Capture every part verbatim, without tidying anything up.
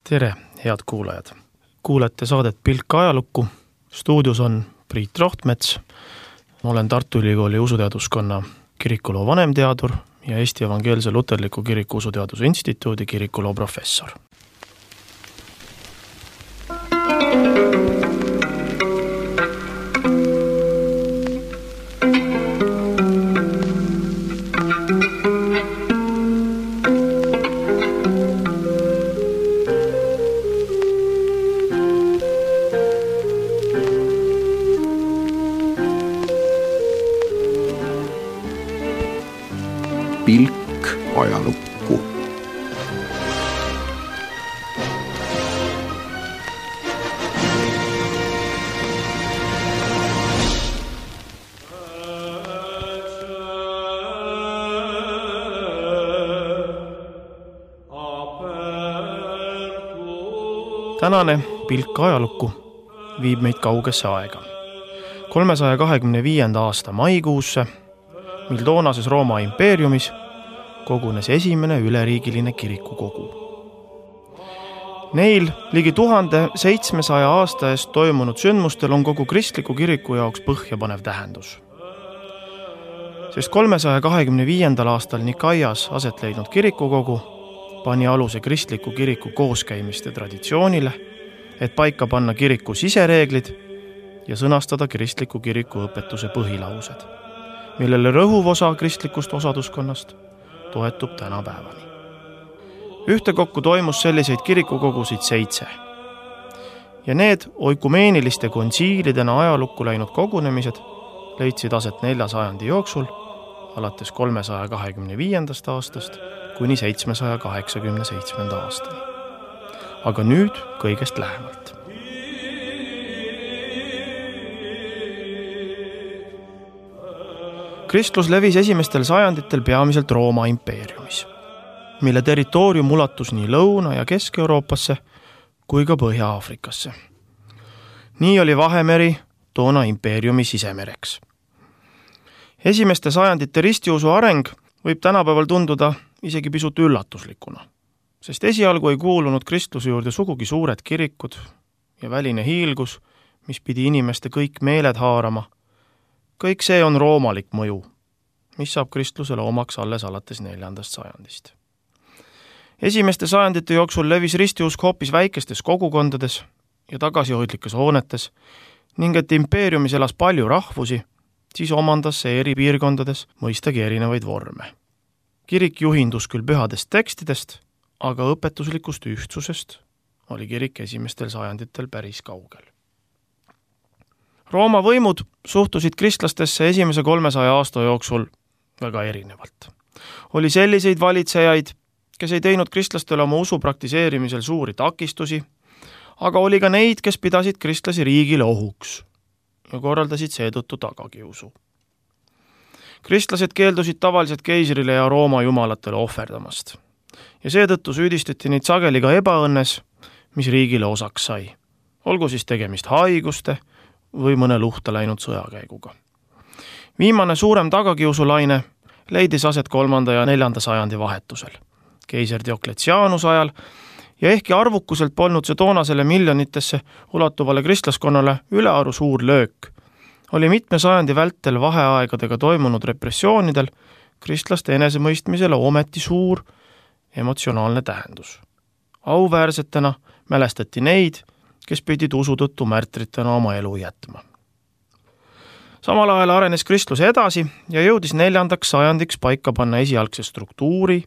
Tere, head kuulajad! Kuulete saadet Pilk ajalukku. Stuudios on Priit Rohtmets. Olen Tartu Ülikooli usuteaduskonna kirikuloo vanemteadur ja Eesti Evangeelse Luterliku Kiriku Usuteaduse Instituudi kirikuloo professor. Pilk ajalukku. Tänane Pilk ajalukku viib meid kaugesse aega. kolmesaja kahekümne viienda aasta maikuusse, mil toonases Rooma impeeriumis kogunes esimene üleriigiline kirikukogu. Neil ligi tuhande seitsmesaja aasta eest toimunud sündmustel on kogu kristliku kiriku jaoks põhjapanev tähendus. Sest kolmesaja kahekümne viiendal aastal Nikaias aset leidnud kirikukogu pani aluse kristliku kiriku kooskäimiste traditsioonile, et paika panna kiriku sisereeglid ja sõnastada kristliku kiriku õpetuse põhilaused, millele rõhuv osa kristlikust osaduskonnast toetub tänapäevani. Ühtekokku toimus selliseid kirikukogusid seitse. Ja need oikumeeniliste kontsiilidena ajalukku läinud kogunemised leidsid aset nelja sajandi jooksul, alates kolmesaja kahekümne viiendast aastast kuni seitsmesaja kaheksakümne seitsmenda aastani. Aga nüüd kõigest lähemalt. Kristlus levis esimestel sajanditel peamiselt Rooma impeeriumis, mille territoorium ulatus nii Lõuna- ja Kesk-Euroopasse kui ka Põhja-Aafrikasse. Nii oli Vahemeri toona impeeriumi sisemereks. Esimeste sajandite ristiusu areng võib tänapäeval tunduda isegi pisut üllatuslikuna, sest esialgu ei kuulunud kristluse juurde sugugi suured kirikud ja väline hiilgus, mis pidi inimeste kõik meeled haarama. Kõik see on roomalik mõju, mis saab kristlusele omaks alles alates neljandast sajandist. Esimeste sajandite jooksul levis ristiusk hoopis väikestes kogukondades ja tagasihoidlikes hoonetes ning et impeeriumis elas palju rahvusi, siis omandas see eri piirkondades mõistagi erinevaid vorme. Kirik juhindus küll pühadest tekstidest, aga õpetuslikust ühtsusest oli kirik esimestel sajanditel päris kaugel. Rooma võimud suhtusid kristlastesse esimese kolmesaja aasta jooksul väga erinevalt. Oli selliseid valitsejaid, kes ei teinud kristlastele oma usu praktiseerimisel suuri takistusi, aga oli ka neid, kes pidasid kristlasi riigile ohuks ja korraldasid seetõttu tagakiusu. Kristlased keeldusid tavaliselt keisrile ja Rooma jumalatele ohverdamast ja seetõttu süüdistati neid sageli ka ebaõnnes, mis riigile osaks sai. Olgu siis tegemist haiguste või mõne luhta läinud sõjakäiguga. Viimane suurem tagakiusulaine leidis aset kolmanda ja neljanda sajandi vahetusel, keiser Diokletianuse ajal, ja ehkki arvukuselt polnud see toonasele miljonitesse ulatuvale kristlaskonnale ülearu suur löök, oli mitme sajandi vältel vaheaegadega toimunud repressioonidel kristlaste enesemõistmisele ometi suur emotsionaalne tähendus. Auväärsetena mälestati neid, kes pidid usu tõttu märtritena oma elu jätma. Samal ajal arenes kristlus edasi ja jõudis neljandaks sajandiks paika panna esialgse struktuuri,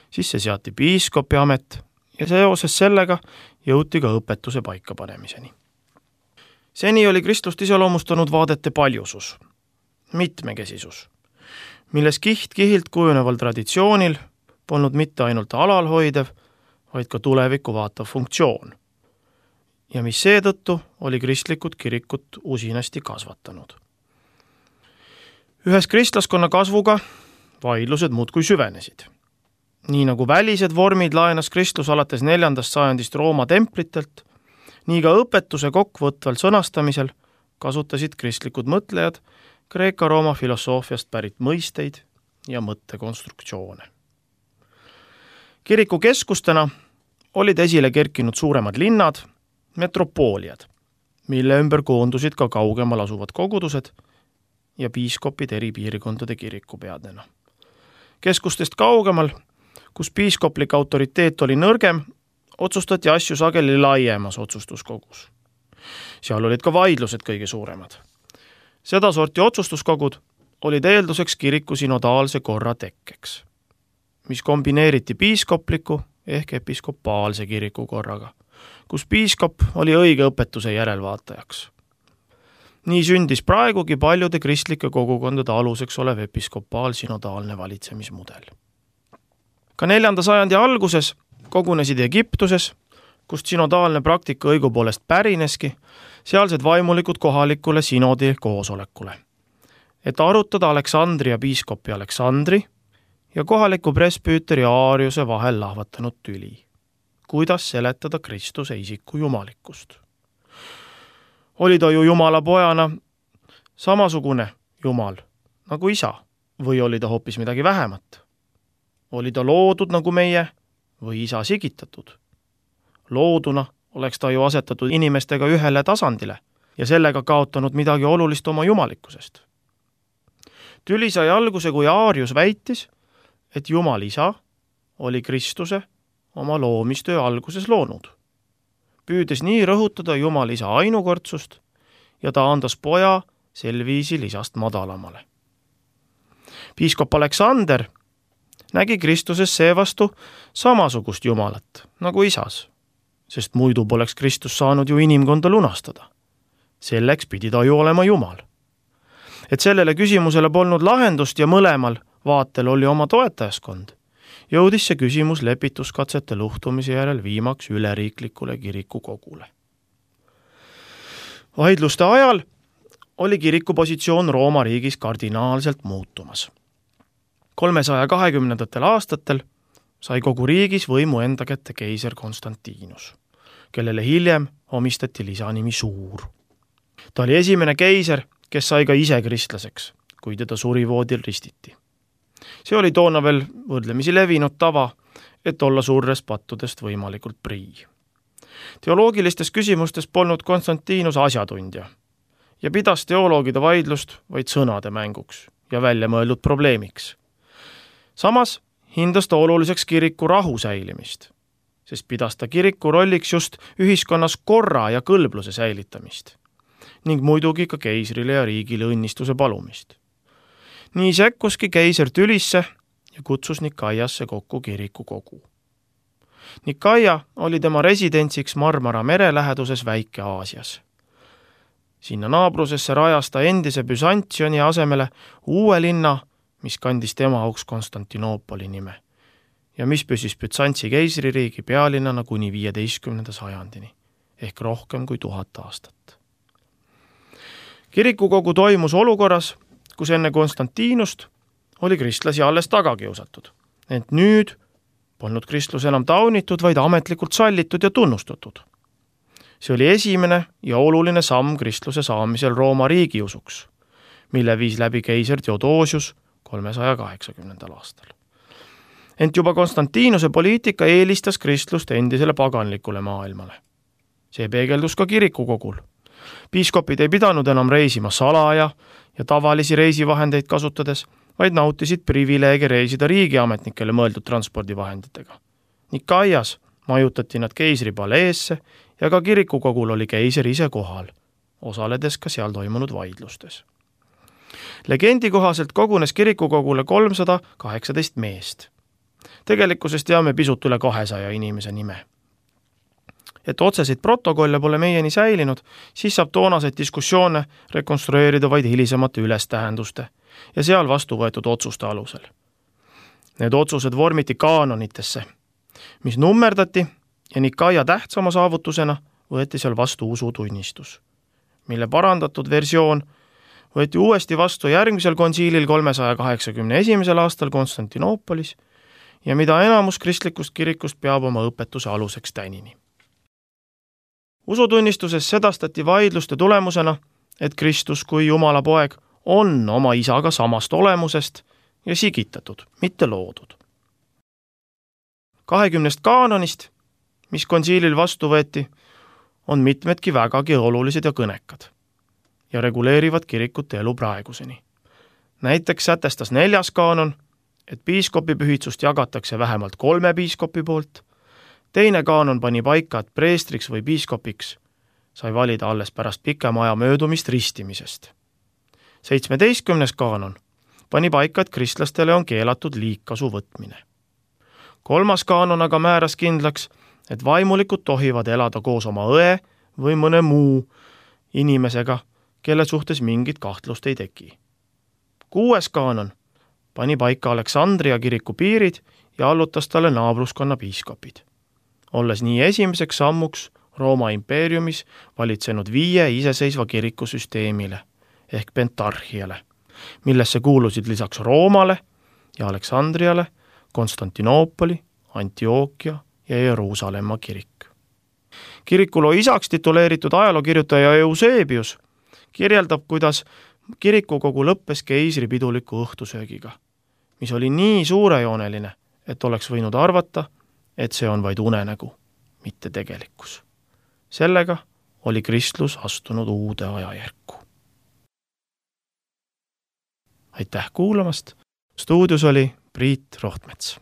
siis see seati piiskopi amet ja seoses sellega jõuti ka õpetuse paikapanemiseni. Seni oli kristlust iseloomustanud vaadete paljusus, mitmekesisus, milles kiht kihilt kujuneval traditsioonil polnud mitte ainult alalhoidev, vaid ka tulevikku vaatav funktsioon, ja mis seetõttu oli kristlikud kirikut usinasti kasvatanud. Ühes kristlaskonna kasvuga vaidlused muudkui süvenesid. Nii nagu välised vormid laenas kristlus alates neljandast sajandist Rooma templitelt, nii ka õpetuse kokkuvõtval sõnastamisel kasutasid kristlikud mõtlejad Kreeka-Rooma filosoofiast pärit mõisteid ja mõttekonstruktsioone. Kiriku keskustena olid esile kerkinud suuremad linnad, metropooliad, mille ümber koondusid ka kaugemal asuvad kogudused ja piiskopid eri piirkondade kirikupeadena. Keskustest kaugemal, kus piiskoplik autoriteet oli nõrgem, otsustati asju sageli laiemas otsustuskogus. Seal olid ka vaidlused kõige suuremad. Seda sorti otsustuskogud olid eelduseks kiriku synodaalse korra tekkeks, mis kombineeriti piiskopliku ehk episkopaalse kiriku korraga, kus piiskop oli õige õpetuse järelvaatajaks. Nii sündis praegugi paljude kristlike kogukondade aluseks olev episkopaal-synodaalne valitsemismudel. Ka neljanda sajandi alguses kogunesid Egiptuses, kust synodaalne praktika õigupoolest pärineski, sealsed vaimulikud kohalikule synodi koosolekule, et arutada Aleksandria piiskopi Aleksandri ja kohaliku presbüüteri Aariuse vahel lahvatanud tüli, kuidas seletada Kristuse isiku jumalikkust. Oli ta ju Jumala pojana samasugune Jumal nagu isa või oli ta hoopis midagi vähemat? Oli ta loodud nagu meie või isa sigitatud? Looduna oleks ta ju asetatud inimestega ühele tasandile ja sellega kaotanud midagi olulist oma jumalikkusest. Tüli sai alguse, kui Aarius väitis, et Jumal isa oli Kristuse oma loomistöö alguses loonud, püüdes nii rõhutada Jumal isa ainukordsust ja ta andas poja sel viisil isast madalamale. Piiskop Aleksander nägi Kristuses seevastu samasugust Jumalat nagu isas, sest muidu poleks Kristus saanud ju inimkonda lunastada. Selleks pidi ta ju olema Jumal. Et sellele küsimusele polnud lahendust ja mõlemal vaatel oli oma toetajaskond, jõudis see küsimus lepituskatsete luhtumise järel viimaks üleriiklikule kirikukogule. Vaidluste ajal oli kiriku positsioon Rooma riigis kardinaalselt muutumas. kolmesaja kahekümnendatel aastatel sai kogu riigis võimu enda kätte keiser Konstantinus, kellele hiljem omistati lisanimi Suur. Ta oli esimene keiser, kes sai ka ise kristlaseks, kui teda surivoodil ristiti. See oli toona veel võrdlemisi levinud tava, et olla surres pattudest võimalikult prii. Teoloogilistes küsimustes polnud Konstantinus asjatundja ja pidas teoloogide vaidlust vaid sõnade mänguks ja välja mõeldud probleemiks. Samas hindas ta oluliseks kiriku rahu säilimist, sest pidas ta kiriku rolliks just ühiskonnas korra ja kõlbluse säilitamist ning muidugi ka keisrile ja riigile õnnistuse palumist. Nii sekkuski keiser tülisse ja kutsus Nikaiasse kokku kirikukogu. Nikaia oli tema residentsiks Marmara mere läheduses Väike-Aasias. Sinna naabrusesse rajas ta endise Byzantioni asemele uue linna, mis kandis tema auks Konstantinoopoli nime ja mis püsis Bütsantsi keisririigi pealinnana kuni viieteistkümnenda sajandini ehk rohkem kui tuhat aastat. Kirikukogu toimus olukorras, kus enne Konstantinust oli kristlasi alles tagakiusatud, ent nüüd polnud kristlus enam taunitud, vaid ametlikult sallitud ja tunnustatud. See oli esimene ja oluline samm kristluse saamisel Rooma riigiusuks, mille viis läbi keiser Theodosius kolmesaja kaheksakümnendal aastal. Ent juba Konstantinuse poliitika eelistas kristlust endisele paganlikule maailmale. See peegeldus ka kirikukogul. Piiskopid ei pidanud enam reisima salaja ja tavalisi reisivahendeid kasutades, vaid nautisid privileege reisida riigiametnikele mõeldud transpordivahenditega. Nikaias majutati nad keisri paleesse ja ka kirikukogul oli keiser ise kohal, osaledes ka seal toimunud vaidlustes. Legendi kohaselt kogunes kirikukogule kolmsada kaheksateist meest. Tegelikkuses teame pisut üle kahesaja inimese nime. Et otseseid protokolle pole meieni säilinud, siis saab toonaseid diskussioone rekonstrueerida vaid hilisemate ülestähenduste ja seal vastu võetud otsuste alusel. Need otsused vormiti kaanonitesse, mis nummerdati ja Nikaia tähtsama saavutusena võeti seal vastu usutunnistus, mille parandatud versioon võeti uuesti vastu järgmisel konsiilil kolmesaja kaheksakümne esimesel aastal Konstantinoopolis ja mida enamus kristlikust kirikust peab oma õpetuse aluseks tänini. Usutunnistuses sedastati vaidluste tulemusena, et Kristus kui Jumala poeg on oma isaga samast olemusest ja sigitatud, mitte loodud. Kahekümnest kaanonist mis konsiilil vastu võeti, on mitmedki vägagi olulised ja kõnekad ja reguleerivad kirikute elu praeguseni. Näiteks sätestas neljas kaanon, et piiskopi pühitsust jagatakse vähemalt kolme piiskopi poolt, teine kaanon pani paika, et preestriks või piiskopiks sai valida alles pärast pikema aja möödumist ristimisest. Seitsmeteistkümnes kaanon pani paika, et kristlastele on keelatud liigkasu võtmine. Kolmas kaanon aga määras kindlaks, et vaimulikud tohivad elada koos oma õe või mõne muu inimesega, kelle suhtes mingit kahtlust ei teki. Kuues kaanon pani paika Aleksandria kiriku piirid ja allutas talle naabruskonna piiskopid, olles nii esimeseks sammuks Rooma impeeriumis valitsenud viie iseseisva kirikusüsteemile ehk pentarhiale, millesse kuulusid lisaks Roomale ja Aleksandriale Konstantinoopoli, Antiookia ja Jeruusalemma kirik. Kirikuloo isaks tituleeritud ajalookirjutaja Eusebius kirjeldab, kuidas kirikukogu lõppes keisri piduliku õhtusöögiga, mis oli nii suurejooneline, et oleks võinud arvata, et see on vaid unenägu, mitte tegelikkus. Sellega oli kristlus astunud uude ajajärku. Aitäh kuulamast! Stuudios oli Priit Rohtmets.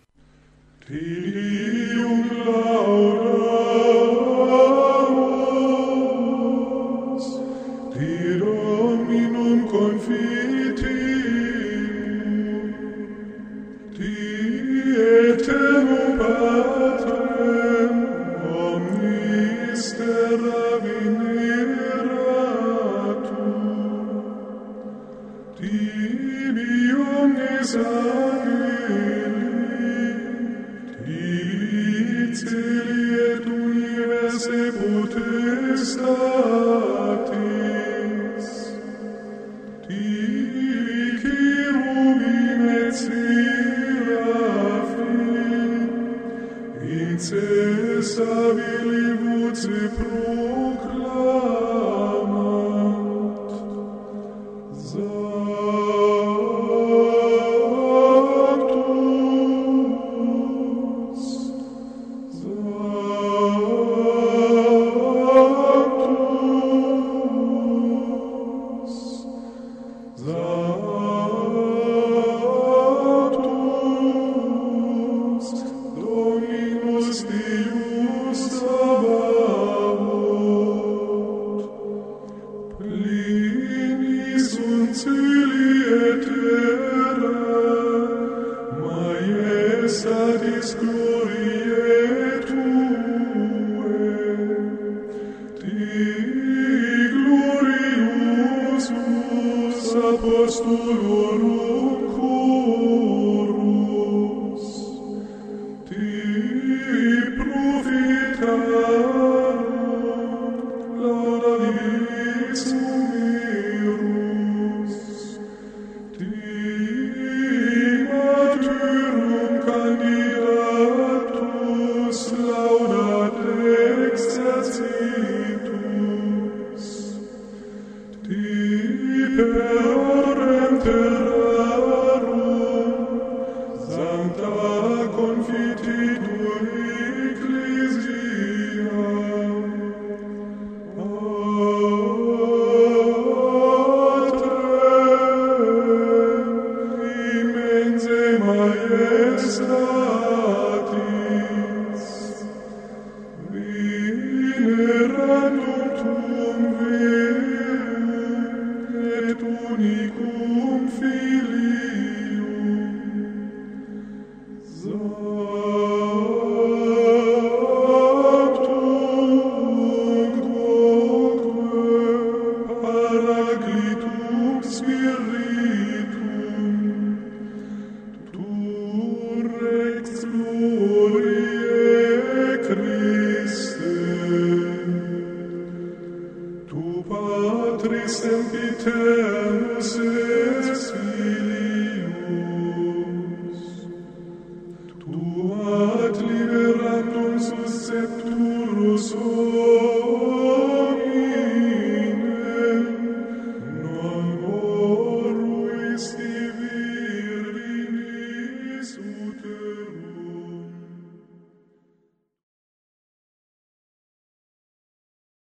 Patris sempiternus